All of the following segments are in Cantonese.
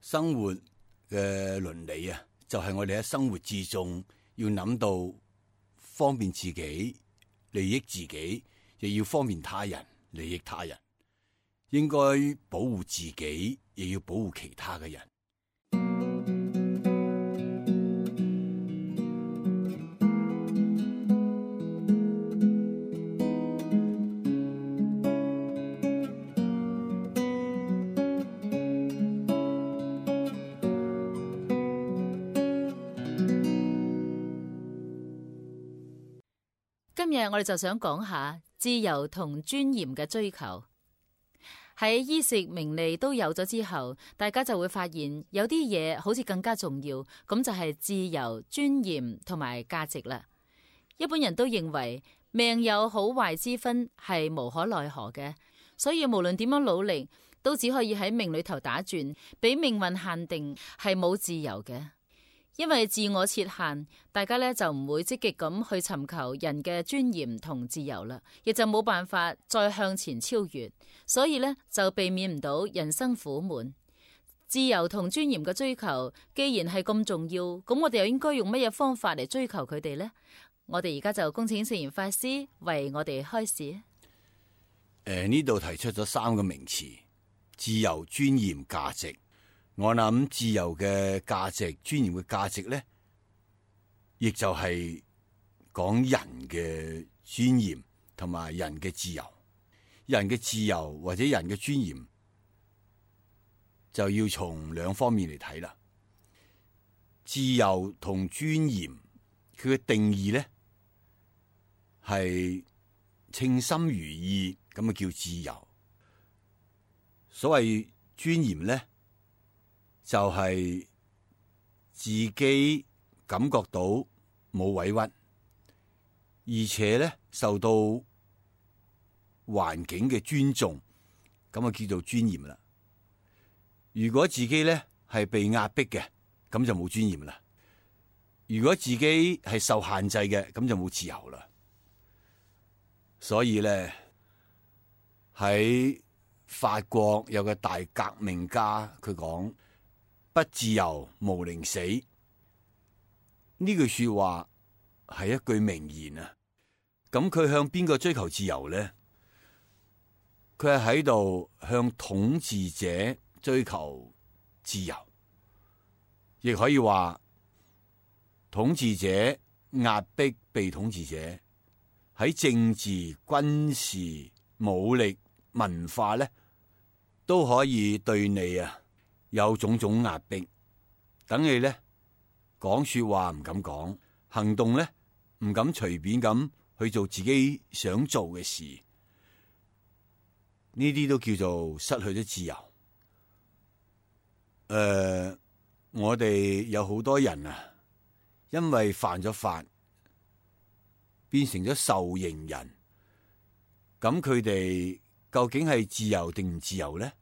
生活嘅倫理啊，就係我哋喺生活之中要諗到方便自己、利益自己，亦要方便他人、利益他人。應該保護自己，亦要保護其他嘅人。今日我哋就想講下自由同尊嚴嘅追求。喺衣食名利都有咗之後，大家就會發現有啲嘢好似更加重要，咁就係自由、尊嚴同埋價值啦。一般人都認為命有好壞之分係無可奈何嘅，所以無論點樣努力，都只可以喺命裏頭打轉，俾命運限定，係冇自由嘅。因為自我設限，大家呢就唔會積極咁去尋求人嘅尊嚴同自由啦，亦就冇辦法再向前超越，所以呢就避免唔到人生苦悶。自由同尊嚴嘅追求，既然係咁重要，咁我哋又應該用乜嘢方法嚟追求佢哋呢？我哋而家就恭請聖嚴法師為我哋開示。呢度提出咗3個名詞：自由、尊嚴、價值。我諗自由嘅價值、尊嚴嘅價值咧，亦就係講人嘅尊嚴同埋人嘅自由。人嘅自由或者人嘅尊嚴，就要從2方面嚟睇啦。自由同尊嚴，佢嘅定義咧係稱心如意，咁啊叫自由。所謂尊嚴咧，就係自己感覺到冇委屈，而且咧受到環境嘅尊重，咁啊叫做尊嚴啦。如果自己咧係被壓迫嘅，咁就冇尊嚴啦。如果自己係受限制嘅，咁就冇自由啦。所以咧喺法國有個大革命家，佢講：不自由，毋寧死。呢句說話係一句名言啊！咁佢向邊個追求自由呢？佢係喺度向統治者追求自由，亦可以話統治者壓迫被統治者，喺政治、軍事、武力、文化咧都可以對你有種種壓迫，等你咧講說話唔敢講，行動咧唔敢隨便咁去做自己想做嘅事，呢啲都叫做失去咗自由。我哋有好多人因為犯咗法，變成咗受刑人，咁佢哋究竟係自由定唔自由咧？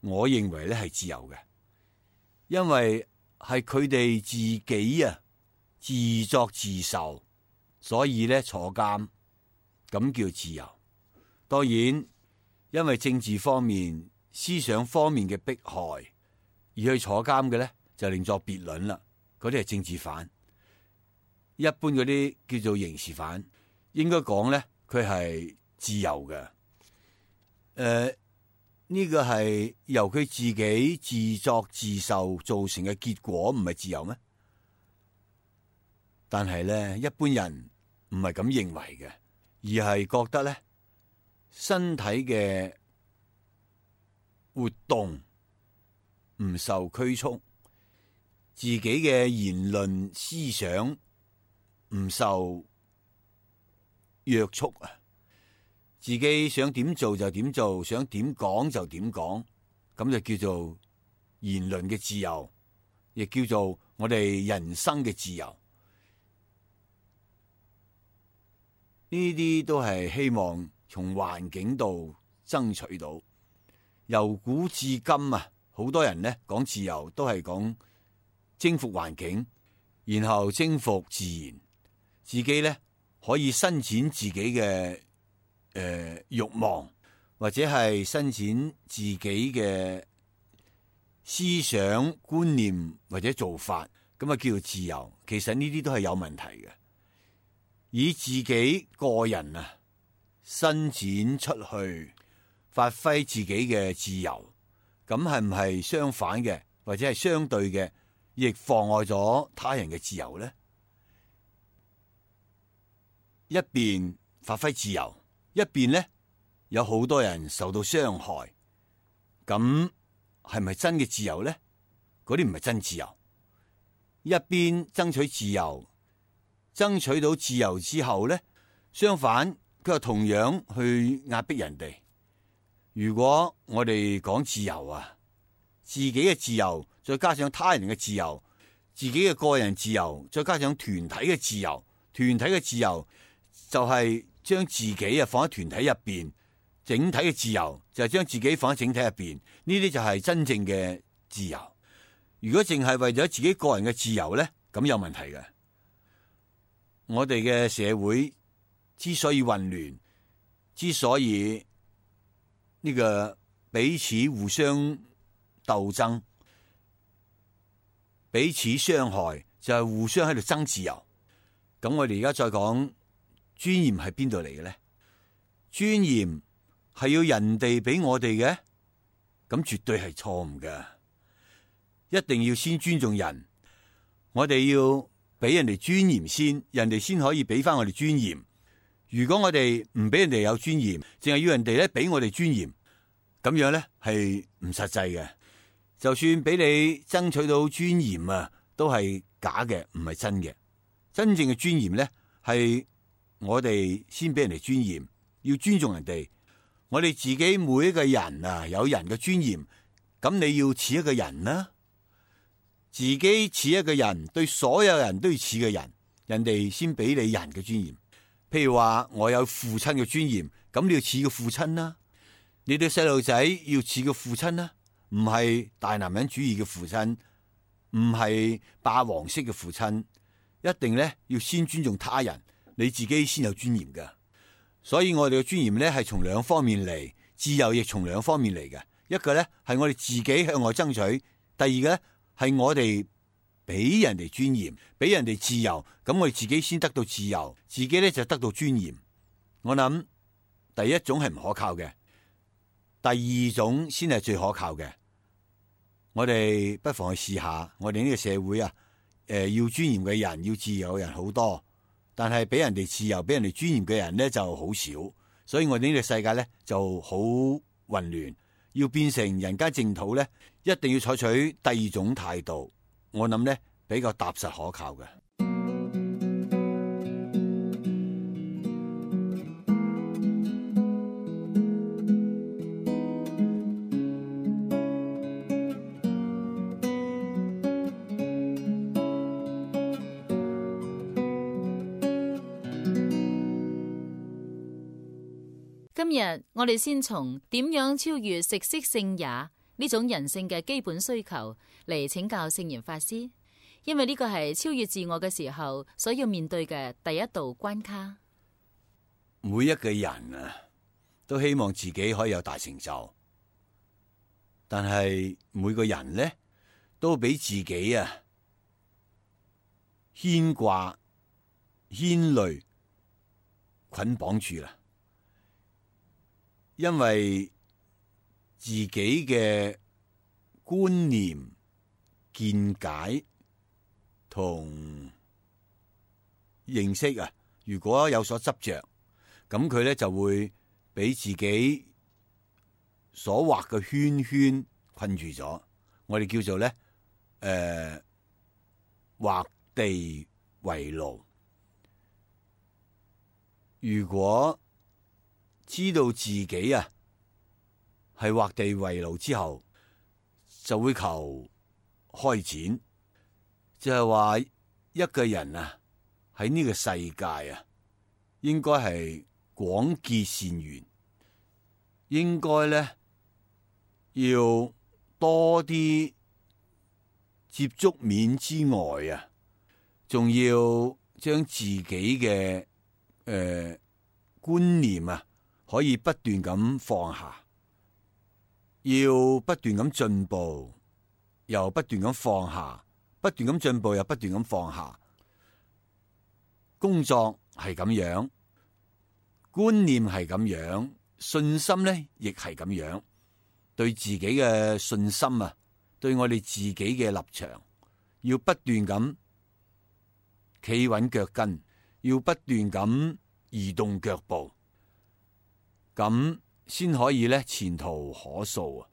我認為咧係自由嘅，因為係佢哋自己自作自受，所以咧坐監，咁叫自由。當然，因為政治方面、思想方面嘅迫害而去坐監嘅咧，就另作別論啦。嗰啲係政治犯，一般嗰啲叫做刑事犯，應該講咧佢係自由嘅。呢個係由佢自己自作自受造成嘅結果，唔係自由咩？但係咧，一般人唔係咁認為嘅，而係覺得咧，身體嘅活動唔受拘束，自己嘅言論思想唔受約束啊！自己想點做就點做，想點講就點講，咁就叫做言論嘅自由，亦叫做我哋人生嘅自由。呢啲都係希望從環境度爭取到。由古至今好多人呢講自由都係講征服環境，然後征服自然，自己呢可以伸展自己嘅慾望，或者係伸展自己嘅思想觀念或者做法，咁啊叫做自由。其實呢啲都係有問題嘅。以自己個人啊伸展出去，發揮自己嘅自由，咁係唔係相反嘅，或者係相對嘅，亦妨礙咗他人嘅自由呢？一邊發揮自由，一邊呢有好多人受到傷害，咁係咪真嘅自由呢？嗰啲唔係真自由。一邊爭取自由，爭取到自由之後呢，相反佢又同樣去壓迫人哋。如果我哋講自由啊，自己嘅自由再加上他人嘅自由，自己嘅個人自由再加上團體嘅自由，團體嘅自由就係將自己啊放喺團體入邊，整體嘅自由就係將自己放喺整體入邊，呢啲就係真正嘅自由。如果淨係為咗自己個人嘅自由呢，咁有問題嘅。我哋嘅社會之所以混亂，之所以呢個彼此互相鬥爭，彼此傷害，就係互相喺度爭自由。咁我哋而家再講尊嚴係邊度嚟嘅咧？尊嚴係要人哋俾我哋嘅，咁絕對係錯誤嘅。一定要先尊重人，我哋要俾人哋尊嚴先，人哋先可以俾翻我哋尊嚴。如果我哋唔俾人哋有尊嚴，淨係要人哋咧俾我哋尊嚴，咁樣咧係唔實際嘅。就算俾你爭取到尊嚴啊，都係假嘅，唔係真嘅。真正嘅尊嚴咧，係我哋先俾人哋尊嚴，要尊重人哋。我哋自己每一個人啊，有人嘅尊嚴，咁你要似一個人啦，自己似一個人，對所有人都要似個人，人哋先俾你人嘅尊嚴。譬如話我有父親嘅尊嚴，咁你要似個父親啦。你對細路仔要似個父親啦，唔係大男人主義嘅父親，唔係霸王式嘅父親。一定咧要先尊重他人，你自己先有尊嚴㗎。所以我哋嘅尊嚴咧係從兩方面嚟，自由亦從兩方面嚟嘅。一個咧係我哋自己向外爭取，第二個咧係我哋俾人哋尊嚴，俾人哋自由，咁我哋自己先得到自由，自己咧就得到尊嚴。我諗第一種係唔可靠嘅，第二種先係最可靠嘅。我哋不妨去試下，我哋呢個社會啊。要尊嚴嘅人，要自由嘅人好多，但係俾人哋自由、俾人哋尊嚴嘅人咧就好少，所以我哋呢個世界咧就好混亂。要變成人間淨土咧，一定要採取第二種態度，我諗咧比較踏實可靠嘅。今日我哋先從點樣超越食色性也呢種人性嘅基本需求嚟請教聖嚴法師，因為呢個係超越自我嘅時候所要面對嘅第一道關卡。每一個人啊，都希望自己可以有大成就，但係每個人呢，都俾自己啊牽掛、牽累、捆綁住啦。因為自己嘅觀念、見解同認識啊，如果有所執着，咁佢咧就會俾自己所畫嘅圈圈困住咗。我哋叫做咧畫地為牢。如果知道自己啊係畫地為牢之後，就會求開展，就係話一個人啊喺呢個世界啊，應該係廣結善緣，應該咧要多啲接觸面之外啊，仲要將自己嘅觀念啊，可以不斷咁放下，要不斷咁進步，又不斷咁放下，不斷咁進步又不斷咁放下。工作係咁樣，觀念係咁樣，信心咧亦係咁樣。對自己嘅信心啊，對我哋自己嘅立場，要不斷咁企穩腳跟，要不斷咁移動腳步，咁先可以咧前途可塑啊！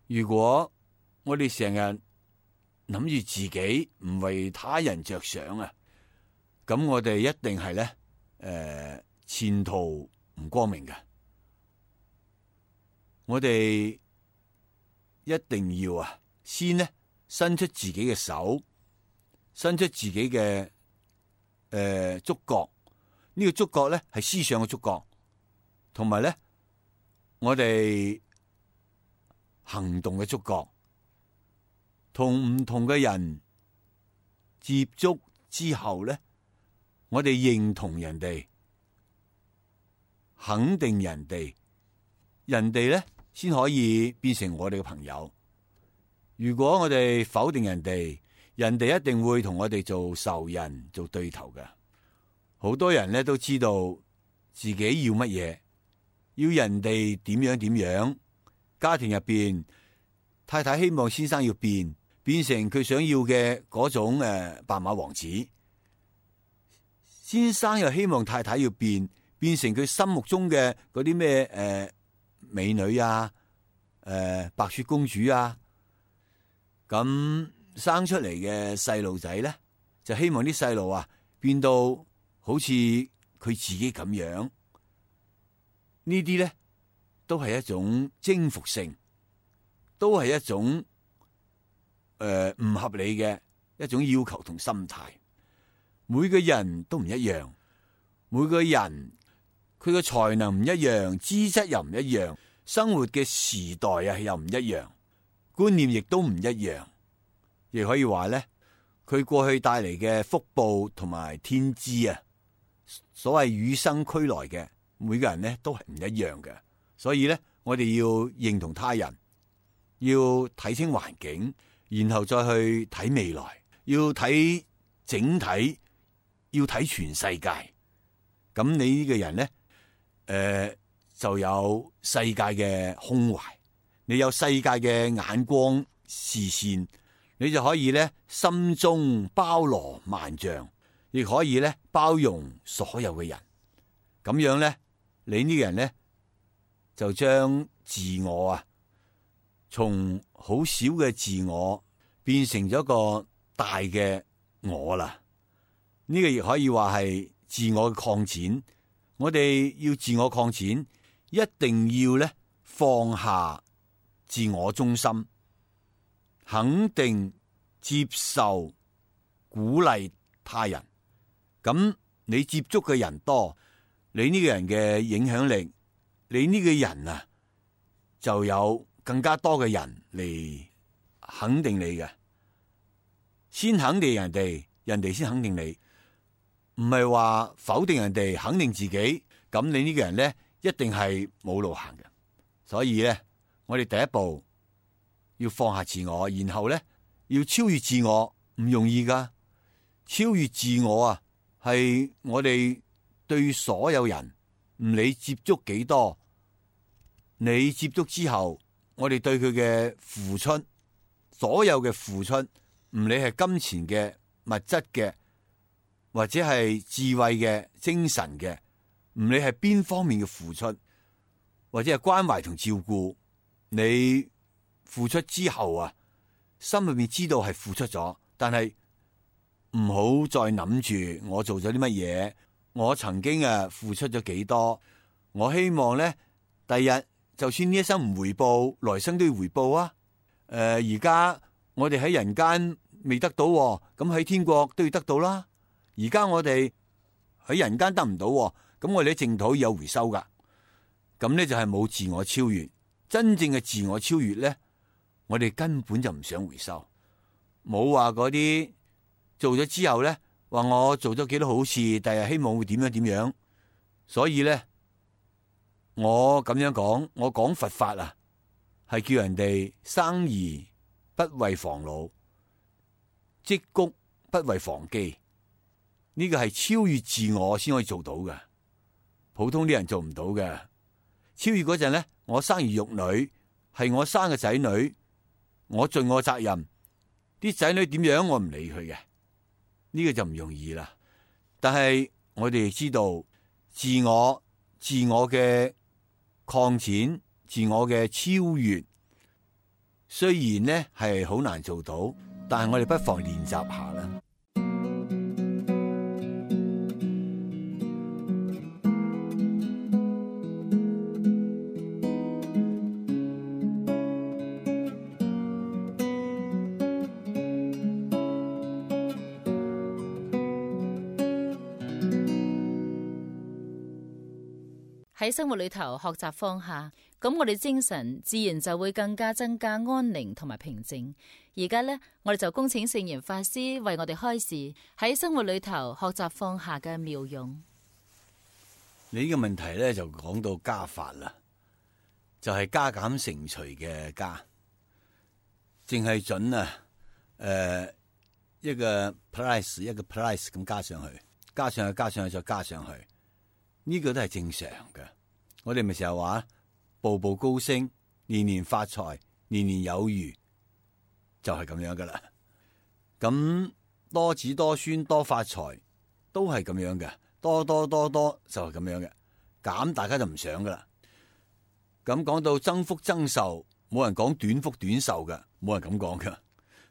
如果我哋成日諗住自己唔為他人着想啊，咁我哋一定係咧前途唔光明嘅。我哋一定要先呢伸出自己嘅手，伸出自己嘅觸角。呢個觸角咧係思想嘅觸角，同埋咧我哋行動嘅觸角。同唔同嘅人接觸之後咧，我哋認同人哋，肯定人哋，人哋咧先可以變成我哋嘅朋友。如果我哋否定人哋，人哋一定會同我哋做仇人、做對頭嘅。好多人咧都知道自己要乜嘢，要人哋點樣點樣。家庭入邊，太太希望先生要變成佢想要嘅嗰種白馬王子，先生又希望太太要變成佢心目中嘅嗰啲咩美女啊，白雪公主啊。咁生出嚟嘅細路仔咧，就希望啲細路變到好似佢自己咁樣。呢啲咧都係一種征服性，都係一種唔合理嘅一種要求同心態。每個人都唔一樣，每個人佢嘅才能唔一樣，資質又唔一樣，生活嘅時代又唔一樣，觀念亦都唔一樣。亦可以話咧，佢過去帶嚟嘅福報同埋天資所謂與生俱來嘅，每個人咧都係唔一樣嘅。所以咧，我哋要認同他人，要睇清環境，然後再去睇未來，要睇整體，要睇全世界。咁你呢個人咧，就有世界嘅胸懷，你有世界嘅眼光視線，你就可以咧心中包羅萬象，亦可以咧包容所有嘅人。咁樣咧，你呢個人咧就將自我從好小嘅自我變成咗個大嘅我啦。呢個亦可以話係自我嘅擴展。我哋要自我擴展，一定要咧放下自我中心，肯定、接受、鼓勵他人。咁你接觸嘅人多，你呢個人嘅影響力，你呢個人就有更加多嘅人嚟肯定你嘅。先肯定人哋，人哋先肯定你，唔係話否定人哋，肯定自己。咁你呢個人咧，一定係冇路行嘅。所以咧，我哋第一步要放下自我，然後咧要超越自我，唔容易噶。超越自我係我哋對所有人，唔理接觸幾多，你接觸之後，我哋對佢嘅付出，所有嘅付出，唔理係金錢嘅、物質嘅，或者係智慧嘅、精神嘅，唔理係邊方面嘅付出，或者係關懷同照顧，你付出之後心裏面知道係付出咗，但係唔好再諗住我做咗啲乜嘢，我曾經付出咗幾多，我希望咧第日就算呢一生唔回報，來生都要回報啊。而家我哋喺人間未得到，咁喺天國都要得到啦。而家我哋喺人間得唔到，咁我哋喺淨土有回收噶。咁咧就係冇自我超越。真正嘅自我超越咧，我哋根本就唔想回收，冇話嗰啲做咗之後咧，話我做咗幾多好事，第日希望會點樣點樣。所以咧，我咁樣講，我講佛法係叫人哋生而不為防老，積谷不為防饑。呢個係超越自我先可以做到嘅，普通啲人做唔到嘅。超越嗰陣咧，我生兒育女，係我生嘅仔女，我盡我責任。啲仔女點樣我唔理佢嘅，呢個就唔容易啦。但係我哋知道自我嘅擴展，自我嘅超越，雖然呢係好難做到，但係我哋不妨練習下啦。喺生活裏頭學習放下，咁我哋精神自然就會更加增加安寧同埋平靜。而家呢，我哋就恭請聖嚴法師為我哋開示喺生活裏頭學習放下嘅妙用。你呢個問題咧就講到加法啦，就係加減乘除嘅加，淨係準一個 price 一個 price 咁加上去，加上去再加上去。呢個都係正常嘅，我哋咪成日話步步高升，年年發財，年年有餘，就係咁樣噶啦。咁多子多孫多發財都係咁樣嘅，多就係咁樣嘅，減大家就唔想噶啦。咁講到增福增壽，冇人講短福短壽嘅，冇人咁講噶。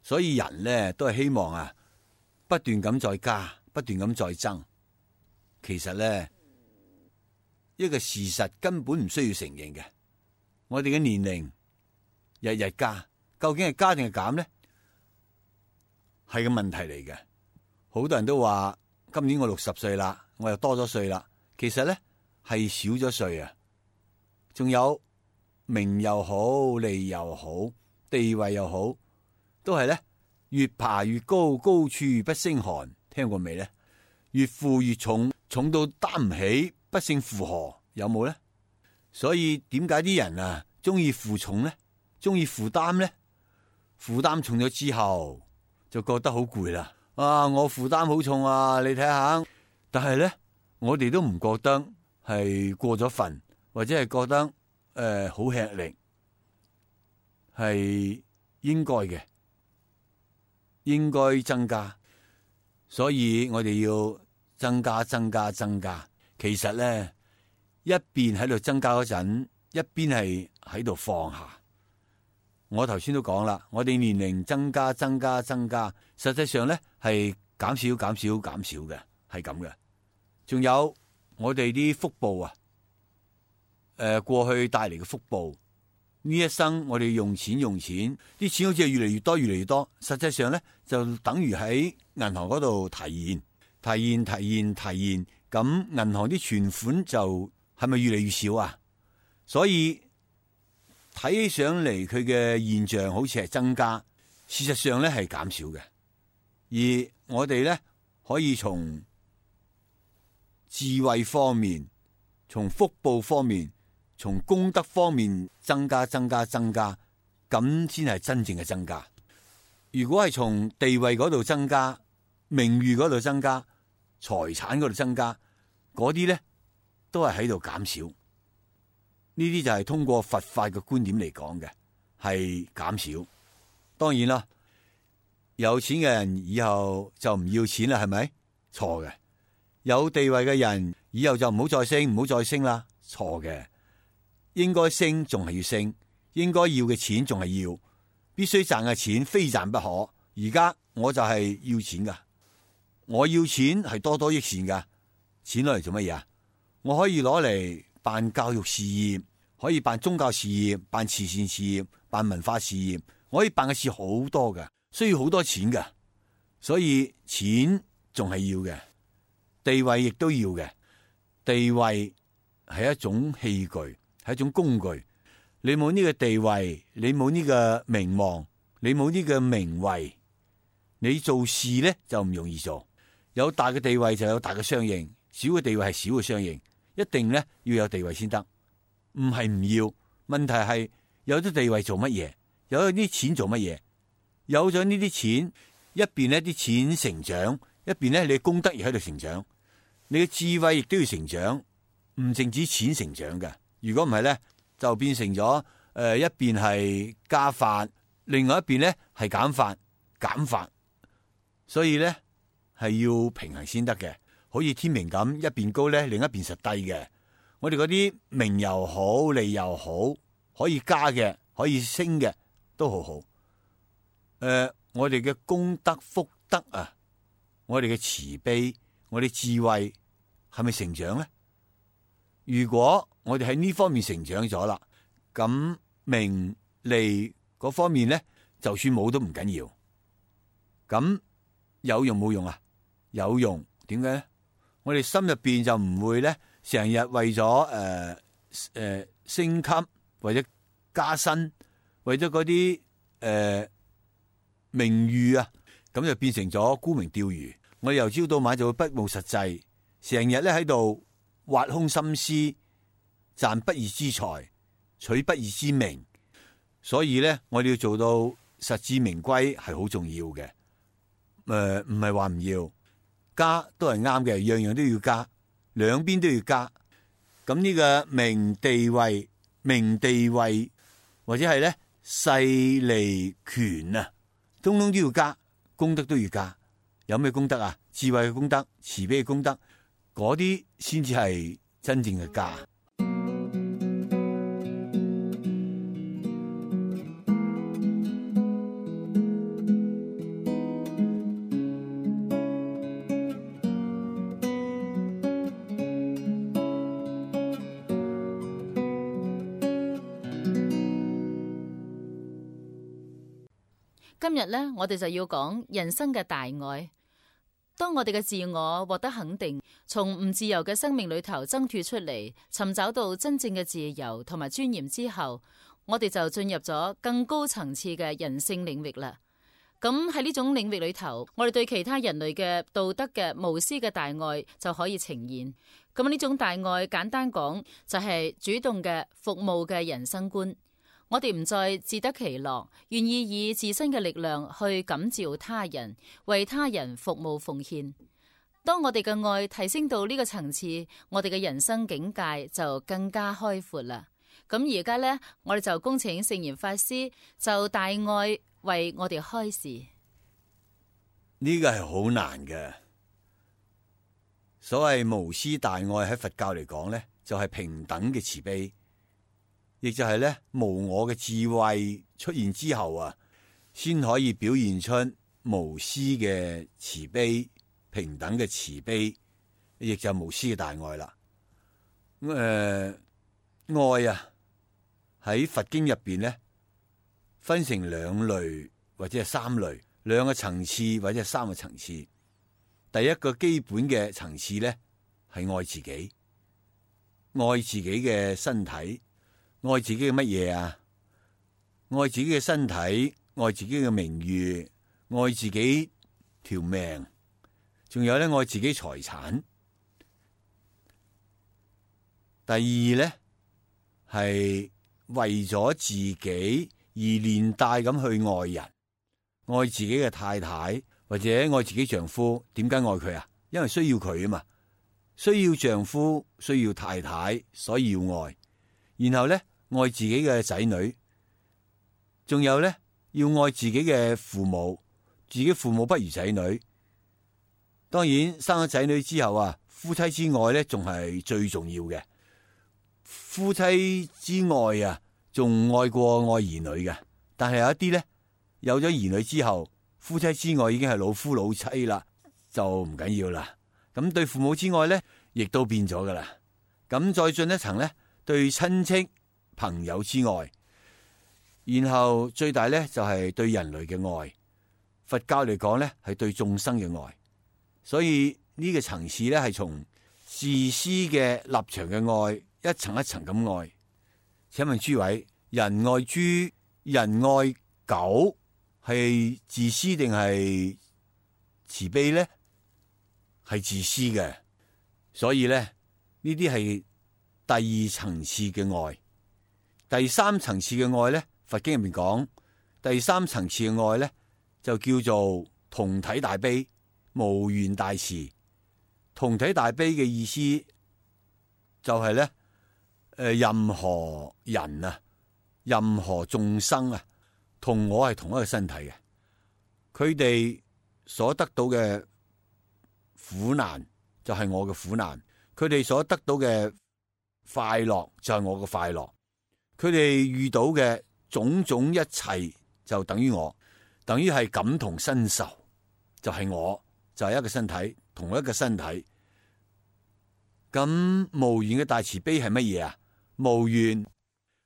所以人咧都係希望不斷咁再加，不斷咁再增。其實咧，一個事實根本唔需要承認嘅，我哋嘅年齡日日加，究竟係加定係減咧？係個問題嚟嘅。好多人都話今年我60歲啦，我又多咗歲啦。其實咧係少咗歲啊。仲有名又好，利又好，地位又好，都係咧越爬越高，高處不勝寒。聽過未咧？越負越重，重到擔唔起，不勝負荷，有冇咧？所以點解啲人中意負重咧？中意負擔咧？負擔重咗之後就覺得好攰啦。我負擔好重啊！你睇下，但係咧，我哋都唔覺得係過咗份，或者係覺得好吃力，係應該嘅，應該增加。所以我哋要增加。其實咧，一邊喺度增加嗰陣，一邊係喺度放下。我頭先都講啦，我哋年齡增加，實際上咧係減少嘅，係咁嘅。仲有我哋啲福報過去帶嚟嘅福報，呢一生我哋用錢，啲錢好似係越嚟越多，實際上咧就等於喺銀行嗰度提現，咁銀行啲存款就係咪越嚟越少啊？所以睇起上嚟佢嘅現象好似係增加，事實上咧係減少嘅。而我哋咧可以從智慧方面、從福報方面、從功德方面增加，咁先係真正嘅增加。如果係從地位嗰度增加、名譽嗰度增加、財產嗰度增加，嗰啲咧都係喺度減少。呢啲就係通過佛法嘅觀點嚟講嘅，係減少。當然啦，有錢嘅人以後就唔要錢啦，係咪？錯嘅。有地位嘅人以後就唔好再升啦，錯嘅。應該升仲係要升，應該要嘅錢仲係要，必須賺嘅錢非賺不可。而家我就係要錢噶，我要錢係多益善噶。錢攞嚟做乜嘢啊？我可以攞嚟辦教育事業，可以辦宗教事業，辦慈善事業，辦文化事業，我可以辦嘅事好多嘅，需要好多錢嘅。所以錢仲係要嘅，地位亦都要嘅。地位係一種器具，係一種工具。你冇呢個地位，你冇呢個名望，你冇呢個名位，你做事咧就唔容易做。有大嘅地位就有大嘅相應，小嘅地位係小嘅相應。一定咧要有地位先得，唔係唔要。問題係有啲地位做乜嘢，有啲錢做乜嘢？有咗呢啲錢，一邊呢啲錢成長，一邊呢你嘅功德亦喺度成長，你嘅智慧亦都要成長，唔淨止錢成長嘅。如果唔係呢，就變成咗一邊係加法，另外一邊呢係減法減法，所以呢係要平衡先得嘅。好似天平咁，一邊高呢，另一邊實低嘅。我哋嗰啲名又好，利又好，可以加嘅，可以升嘅，都好好。我哋嘅功德福德啊，我哋嘅慈悲，我哋智慧係咪成長呢？如果我哋喺呢方面成長咗啦，咁名利嗰方面呢，就算冇都唔緊要。咁有用冇用啊？有用。點解呢？我哋心入邊就唔會呢，成日為咗升級或者加薪，為咗嗰啲名譽啊，咁就變成咗沽名釣譽。我哋由朝到晚就會不務實際，成日咧喺度挖空心思，賺不義之財，取不義之名。所以咧，我哋要做到實至名歸係好重要嘅。唔係話唔要加都係啱嘅，樣樣都要加，兩邊都要加。咁呢個名地位或者係咧勢利權啊，通通都要加，功德都要加。有咩功德啊？智慧嘅功德、慈悲嘅功德，嗰啲先至係真正嘅加。今日呢，我哋就要講人生嘅大愛。當我哋嘅自我獲得肯定，從唔自由嘅生命裏頭掙脫出嚟，尋找到真正嘅自由同埋尊嚴之後，我哋就進入咗更高層次嘅人性領域啦。咁喺呢種領域裏頭，我哋對其他人類嘅道德嘅無私嘅大愛就可以呈現。咁呢種大愛簡單講就係主動嘅服務嘅人生觀。我哋唔再自得其樂，願意以自身嘅力量去感召他人，為他人服務奉獻。當我哋嘅愛提升到呢個層次，我哋嘅人生境界就更加開闊啦。咁而家呢，我哋就恭請聖嚴法師就大愛為我哋開示。呢個係好難嘅。所謂無私大愛喺佛教嚟講呢，就係平等嘅慈悲。亦就係咧，無我嘅智慧出現之後啊，先可以表現出無私嘅慈悲、平等嘅慈悲，亦就係無私嘅大愛啦。愛啊，喺佛經入邊咧，分成兩類或者係三類，兩個層次或者係三個層次。第一個基本嘅層次咧，係愛自己，愛自己嘅身體。愛自己嘅乜嘢啊？愛自己嘅身體，愛自己嘅名譽，愛自己條命，仲有咧愛自己財產。第二咧係為咗自己而連帶咁去愛人，愛自己嘅太太或者愛自己丈夫。點解愛佢啊？因為需要佢啊嘛，需要丈夫，需要太太，所以要愛。然後咧，愛自己嘅仔女，仲有咧，要愛自己嘅父母，自己父母不如仔女。當然，生咗仔女之後啊，夫妻之愛咧，仲係最重要嘅。夫妻之愛啊，仲愛過愛兒女嘅。但係有一啲咧，有咗兒女之後，夫妻之愛已經係老夫老妻啦，就唔緊要啦。咁對父母之愛咧，亦都變咗噶啦。咁再進一層咧，對親戚朋友之愛，然後最大咧就係對人類嘅愛。佛教嚟講咧係對眾生嘅愛，所以呢個層次咧係從自私嘅立場嘅愛，一層一層咁愛。請問諸位，人愛豬、人愛狗係自私定係慈悲咧？係自私嘅，所以咧呢啲係第二層次嘅愛。第三層次嘅愛咧，佛經入面講，第三層次嘅愛咧就叫做同體大悲、無緣大慈。同體大悲嘅意思就係咧，任何人啊，任何眾生啊，同我係同一個身體嘅，佢哋所得到嘅苦難就係我嘅苦難，佢哋所得到嘅快樂就係我嘅快樂，佢哋遇到嘅種種一切就等於我，等於係感同身受，就係我，就係一個身體，同一個身體。咁無緣嘅大慈悲係乜嘢啊？無緣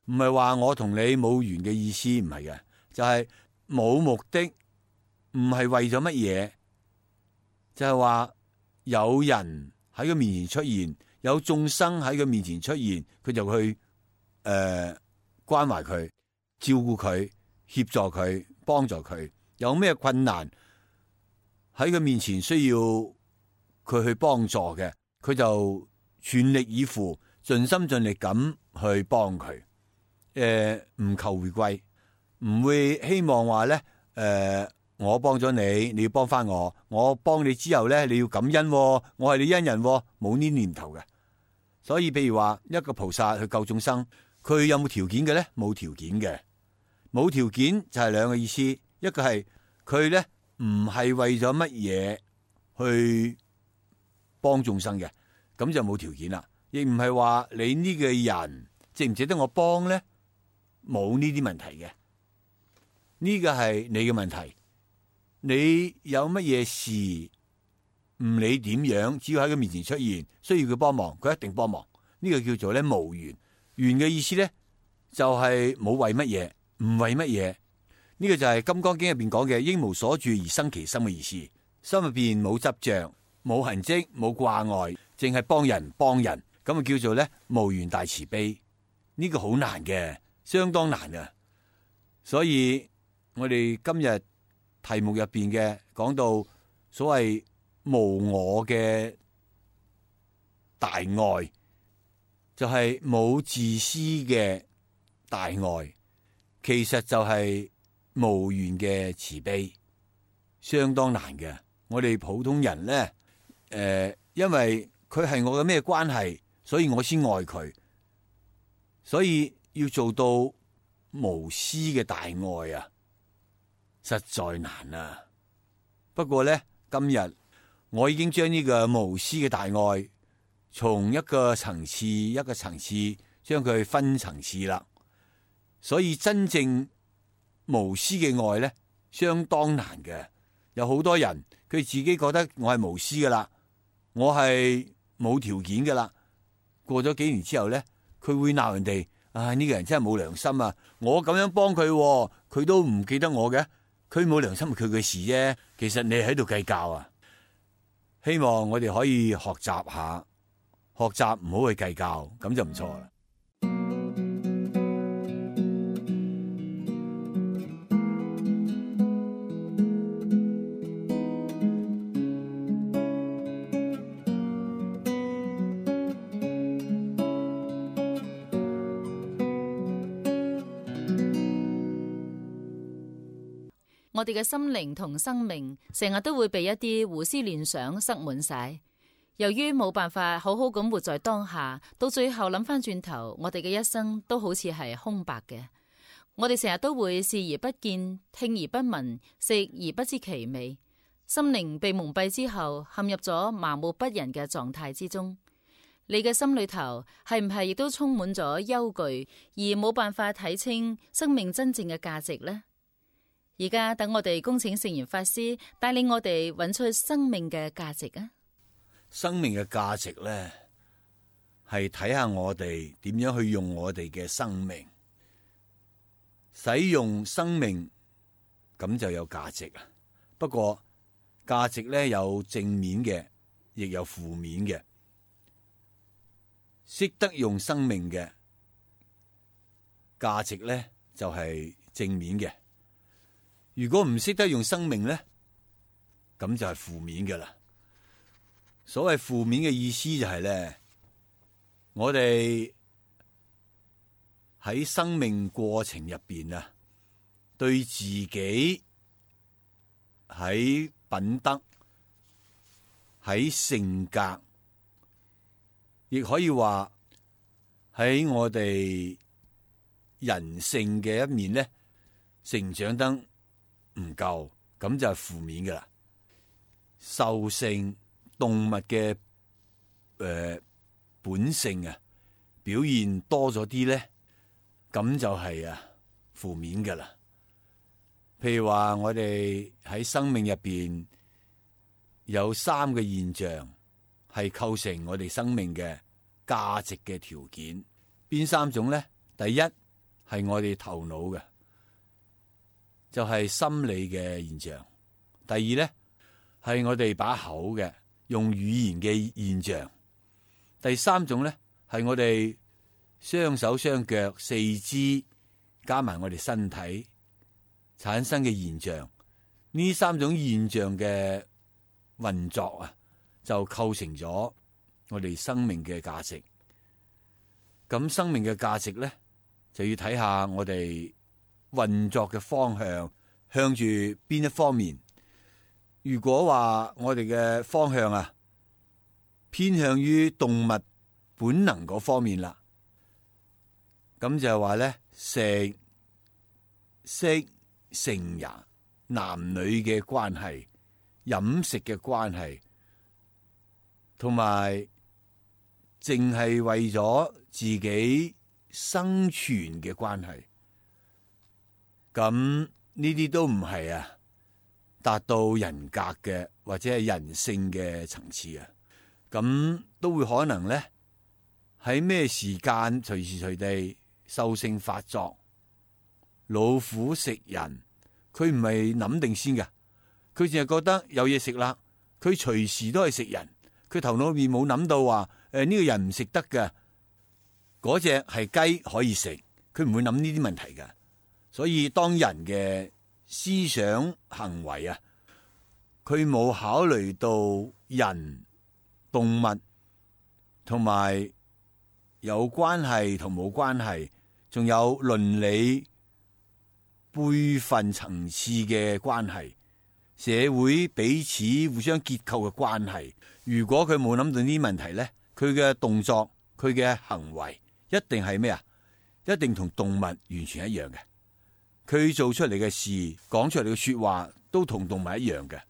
唔係話我同你冇緣嘅意思，唔係嘅，就係冇目的，唔係為咗乜嘢，就係話有人喺佢面前出現，有眾生喺佢面前出現，佢就去關懷佢、照顧佢、協助佢、幫助佢。有咩困難喺佢面前需要佢去幫助嘅，佢就全力以赴、盡心盡力咁去幫佢。唔求回歸，唔會希望話咧，我幫咗你，你要幫翻我，我幫你之後咧，你要感恩喎，我係你恩人喎，冇呢念頭嘅。所以譬如話一個菩薩去救眾生，佢有冇條件嘅咧？冇條件嘅，冇條件就係兩個意思，一個係佢咧唔係為咗乜嘢去幫眾生嘅，咁就冇條件啦。亦唔係話你呢個人值唔值得我幫咧，冇呢啲問題嘅。呢個係你嘅問題，你有乜嘢事唔理點樣，只要喺佢面前出現，需要佢幫忙，佢一定幫忙。呢個叫做咧無緣。緣嘅意思咧就係冇為乜嘢，唔為乜嘢。呢個就係《金剛經》入邊講嘅應無所住而生其心嘅意思。心入邊冇執着、冇痕跡、冇掛礙，淨係幫人，咁啊叫做咧無緣大慈悲。呢個好難嘅，相當難嘅。所以我哋今日題目入邊嘅講到所謂無我嘅大愛，就係冇自私嘅大愛，其實就係無緣嘅慈悲，相當難嘅。我哋普通人咧，因為佢係我嘅咩關係，所以我先愛佢，所以要做到無私嘅大愛啊，實在難啊。不過咧，今日我已經將呢個無私嘅大愛從一個層次一個層次將佢分層次啦。所以真正無私嘅愛咧，相當難嘅。有好多人佢自己覺得我係無私噶啦，我係冇條件噶啦。過咗幾年之後咧，佢會鬧人哋，呢個人真係冇良心啊！我咁樣幫佢，佢都唔記得我嘅，佢冇良心係佢嘅事啫。其實你喺度計較啊！希望我哋可以學習下，學習唔好去計較，咁就唔錯啦。我哋嘅心靈同生命成日都會被一啲胡思亂想塞滿晒，由於冇辦法好好咁活在當下，到最後諗翻轉頭，我哋嘅一生都好似係空白嘅。我哋成日都會視而不見，聽而不聞，食而不知其味，心靈被蒙蔽之後，陷入咗麻木不仁嘅狀態之中。你嘅心裏頭係唔係亦都充滿咗憂懼，而冇辦法睇清生命真正嘅價值呢？而家等我哋恭請聖嚴法師帶領我哋揾出生命嘅價值啊！生命嘅價值咧，係睇下我哋點樣去用我哋嘅生命，使用生命咁就有價值啊！不過價值咧有正面嘅，亦有負面嘅。識得用生命嘅價值咧，就係正面嘅。如果唔識得用生命咧，咁就係負面嘅啦。所謂負面嘅意思就係咧，我哋喺生命過程入邊啊，對自己喺品德、喺性格，亦可以話喺我哋人性嘅一面咧，成長得唔夠，咁就係負面噶啦。獸性動物嘅本性啊，表現多咗啲咧，咁就係負面噶啦。譬如話我哋喺生命入邊有3個現象係構成我哋生命嘅價值嘅條件，邊3種咧？第一係我哋頭腦嘅，就係心理嘅現象；第二咧係我哋把口嘅，用語言嘅現象；第3種咧係我哋雙手雙腳四肢加埋我哋身體產生嘅現象。呢3種現象嘅運作啊，就構成咗我哋生命嘅價值。咁生命嘅價值咧，就要睇下我哋運作嘅方向，向住邊一方面。如果話我哋嘅方向啊，偏向於動物本能嗰方面啦，咁就係話咧，食色性也，男女嘅關係、飲食嘅關係，同埋淨係為咗自己生存嘅關係，咁呢啲都唔係達到人格嘅或者係人性嘅層次啊。咁都會可能咧喺咩時間隨時隨地獸性發作。老虎食人，佢唔係諗定先㗎，佢淨係覺得有嘢食啦，佢隨時都係食人，佢頭腦裏面冇諗到話呢個人唔食得嘅，嗰隻係雞可以食，佢唔會諗呢啲問題㗎。所以當人嘅思想行為啊，佢冇考慮到人、動物同埋有關係同冇關係，仲有倫理輩分層次嘅關係，社會彼此互相結構嘅關係。如果佢冇諗到呢啲問題咧，佢嘅動作、佢嘅行為一定係咩啊？一定同動物完全一樣嘅。佢做出嚟嘅事、講出嚟嘅說話都同動物一樣嘅。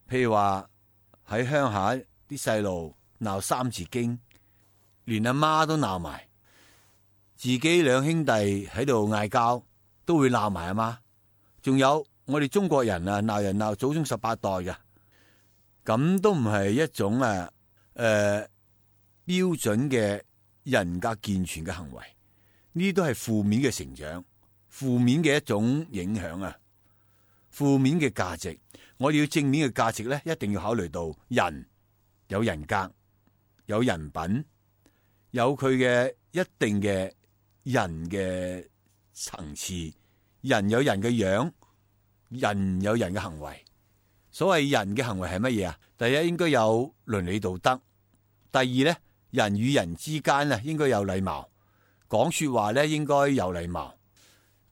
譬如話喺鄉下啲細路鬧三字經，連阿媽都鬧埋，自己2兄弟喺度嗌交，都會鬧埋阿媽。仲有我哋中國人鬧人鬧祖宗18代嘅，咁都唔係一種標準嘅人格健全嘅行為。呢啲都係負面嘅成長，負面嘅一種影響啊，負面嘅價值。我哋要正面嘅價值咧，一定要考慮到人有人格、有人品，有佢嘅一定嘅人嘅層次。人有人嘅樣，人有人嘅行為。所謂人嘅行為係乜嘢啊？第一應該有倫理道德，第二咧，人與人之間應該有禮貌，講說話咧應該有禮貌。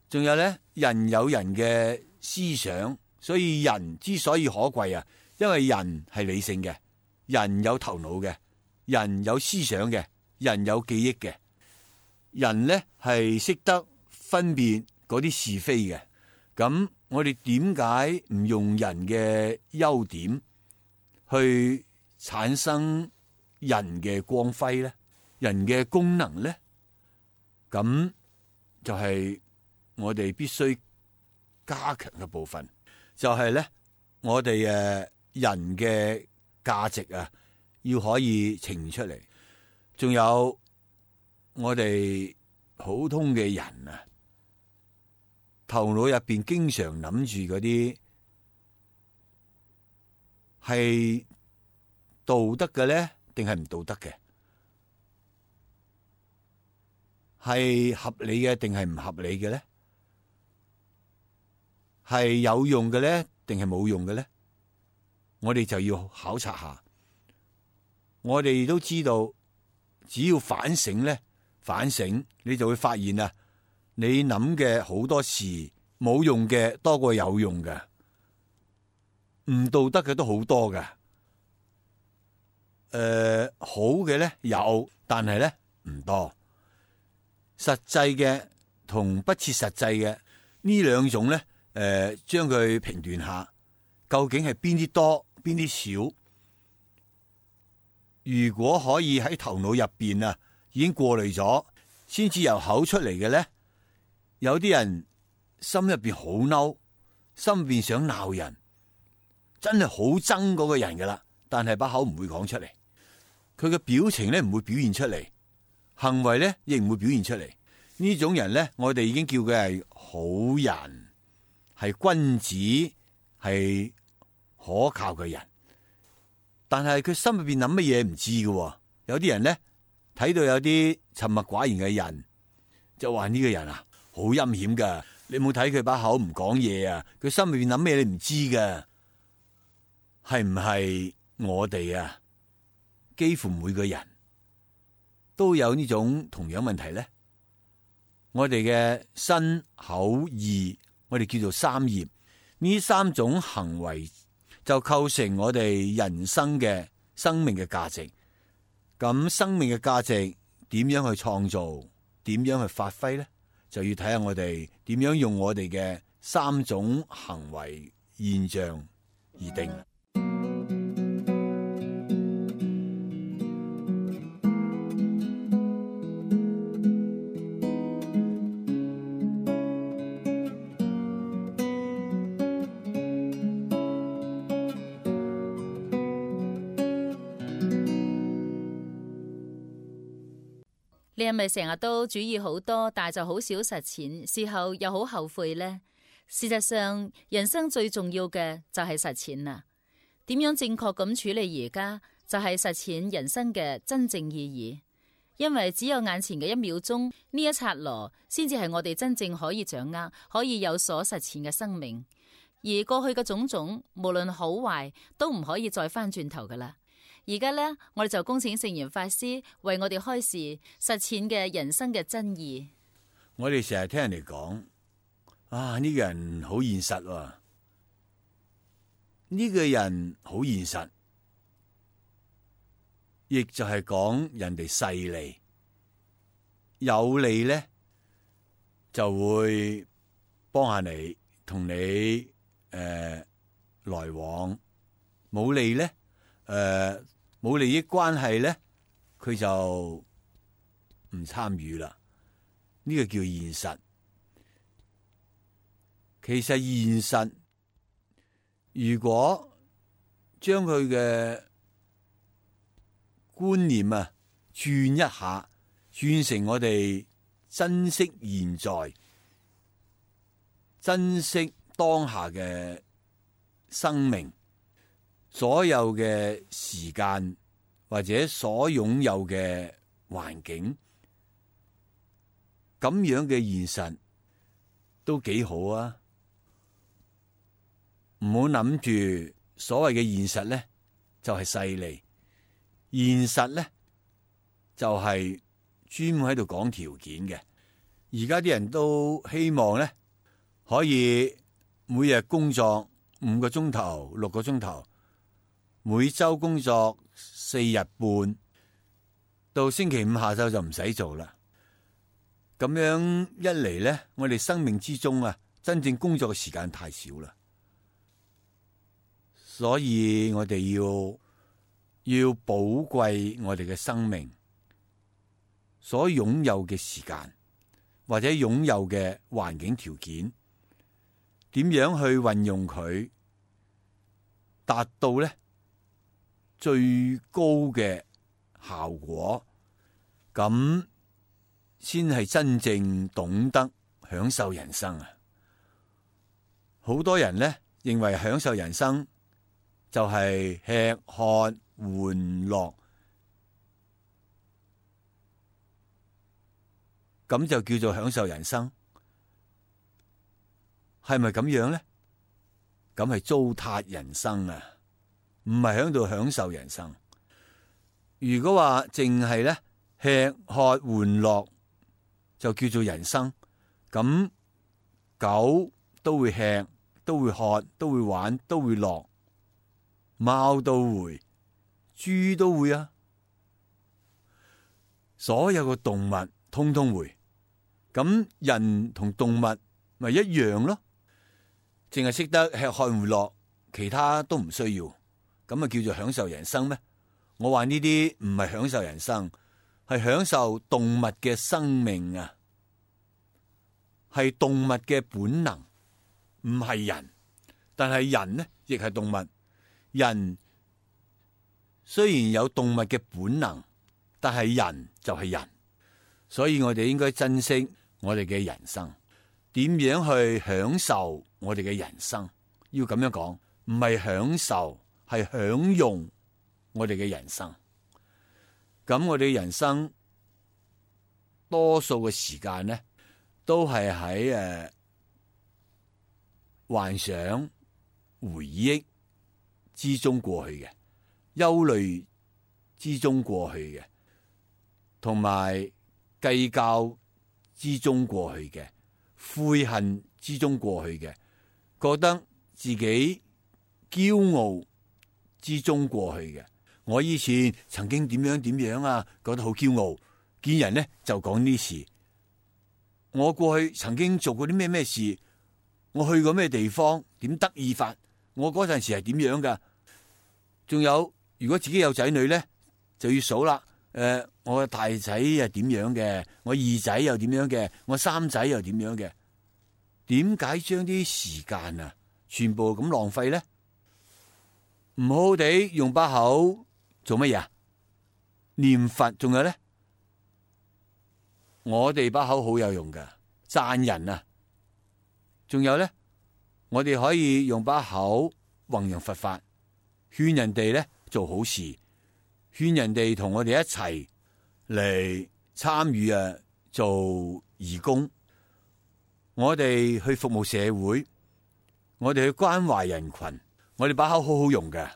仲有咧，人有人嘅思想，所以人之所以可貴因為人係理性嘅，人有頭腦嘅，人有思想嘅，人有記憶嘅，人咧係識得分辨嗰啲是非嘅。咁我哋點解唔用人嘅優點去產生人嘅光輝咧？人嘅功能咧？咁就係我哋必須加強嘅部分，就係咧我哋人嘅價值要可以呈現出嚟。仲有我哋普通嘅人頭腦入邊經常諗住嗰啲係道德嘅咧，定係唔道德嘅？係合理嘅定係唔合理嘅咧？係有用嘅咧，定係冇用嘅咧？我哋就要考察下。我哋都知道，只要反省咧，反省你就會發現你諗嘅好多事冇用嘅多過有用嘅。唔道德嘅都好多㗎。好嘅咧有，但係咧唔多。實際嘅同不切實際嘅呢兩種咧，將佢評斷下，究竟係邊啲多，邊啲少？如果可以喺頭腦入邊啊，已經過濾咗，先至由口出嚟嘅咧，有啲人心入邊好嬲，心入邊想鬧人，真係好憎嗰個人噶啦，但係把口唔會講出嚟。佢嘅表情咧唔會表現出嚟，行為咧亦唔會表現出嚟。呢種人咧，我哋已經叫佢係好人，係君子，係可靠嘅人。但係佢心入邊諗乜嘢唔知嘅。有啲人咧睇到有啲沉默寡言嘅人，就話呢個人啊好陰險噶。你冇睇佢把口唔講嘢啊，佢心入邊諗咩你唔知噶。係唔係我哋啊？幾乎每個人都有呢種同樣問題咧。我哋嘅身口意，我哋叫做三業，呢三種行為就構成我哋人生嘅生命嘅價值。咁生命嘅價值點樣去創造，點樣去發揮咧？就要睇下我哋點樣用我哋嘅三種行為現象而定。你係咪成日都主意好多，但係就好少實踐，事後又好後悔呢？事實上，人生最重要嘅就係實踐啦。點樣正確咁處理而家，就係實踐人生嘅真正意義。因為只有眼前嘅一秒鐘，呢一剎那，先至係我哋真正可以掌握、可以有所實踐嘅生命。而過去嘅種種，無論好壞，都唔可以再翻轉頭噶啦。而家呢，我哋就恭請聖嚴法師為我哋開示實踐嘅人生嘅真義。我哋成日聽人哋講，啊呢個人好現實喎，呢個人好現實，亦就係講人哋勢利，有利咧就會幫下你，同你來往；冇利咧，冇利益關係咧，佢就唔參與啦。呢個叫現實。其實現實，如果將佢嘅觀念啊轉一下，轉成我哋珍惜現在、珍惜當下嘅生命，所有嘅時間或者所擁有嘅環境，咁樣嘅現實都幾好啊！唔好諗住所謂嘅現實咧，就係勢利。現實咧就係專門喺度講條件嘅。而家啲人都希望咧可以每日工作5個鐘頭、6個鐘頭，每周工作4日半，到星期五下晝就唔使做啦。咁樣一嚟咧，我哋生命之中啊，真正工作嘅時間太少啦。所以我哋要寶貴我哋嘅生命所擁有嘅時間，或者擁有嘅環境條件，點樣去運用佢，達到咧最高嘅效果，咁先係真正懂得享受人生啊！好多人咧認為享受人生就係吃喝玩樂，咁就叫做享受人生，係咪咁樣咧？咁係糟蹋人生啊，唔係喺度享受人生。如果話淨係咧吃喝玩樂就叫做人生，咁狗都會吃，都會喝，都會玩，都會樂，貓都會，豬都會啊，所有嘅動物通通會。咁人同動物咪一樣咯，淨係識得吃喝玩樂，其他都唔需要，咁啊叫做享受人生咩？我話呢啲唔係享受人生，係享受動物嘅生命啊，係動物嘅本能，唔係人。但係人呢，亦係動物。人雖然有動物嘅本能，但係人就係人，所以我哋應該珍惜我哋嘅人生。點樣去享受我哋嘅人生？要咁樣講，唔係享受，係享用我哋嘅人生。咁我哋嘅人生多數嘅時間呢，都係喺幻想、回憶之中過去嘅，憂慮之中過去嘅，同埋計較之中過去嘅，悔恨之中過去嘅，覺得自己驕傲之中過去嘅。我以前曾經點樣點樣啊，覺得好驕傲，見人呢就講呢事。我過去曾經做過啲咩咩事，我去過咩地方，點得意法，我嗰陣時係點樣噶？仲有，如果自己有仔女咧，就要數啦。我大仔係點樣嘅，我二仔又點樣嘅，我三仔又點樣嘅？點解將啲時間啊，全部咁浪費咧？唔好好地用把口做乜嘢啊？念佛，仲有咧，我哋把口好有用噶，讚人啊！仲有咧，我哋可以用把口弘揚佛法，勸人哋咧做好事，勸人哋同我哋一齊嚟參與做義工。我哋去服務社會，我哋去關懷人群，我哋把口好好用嘅，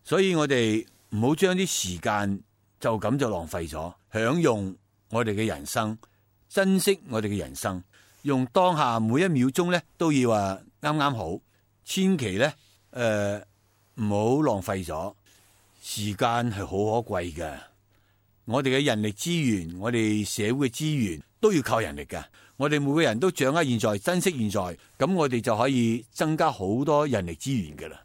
所以我哋唔好將啲時間就咁就浪費咗，享用我哋嘅人生，珍惜我哋嘅人生，用當下每一秒鐘咧都要啱啱好，千祈咧唔好浪費咗。時間係好可貴嘅，我哋嘅人力資源，我哋社會嘅資源都要靠人力嘅。我哋每個人都掌握現在，珍惜現在，咁我哋就可以增加好多人力資源嘅啦。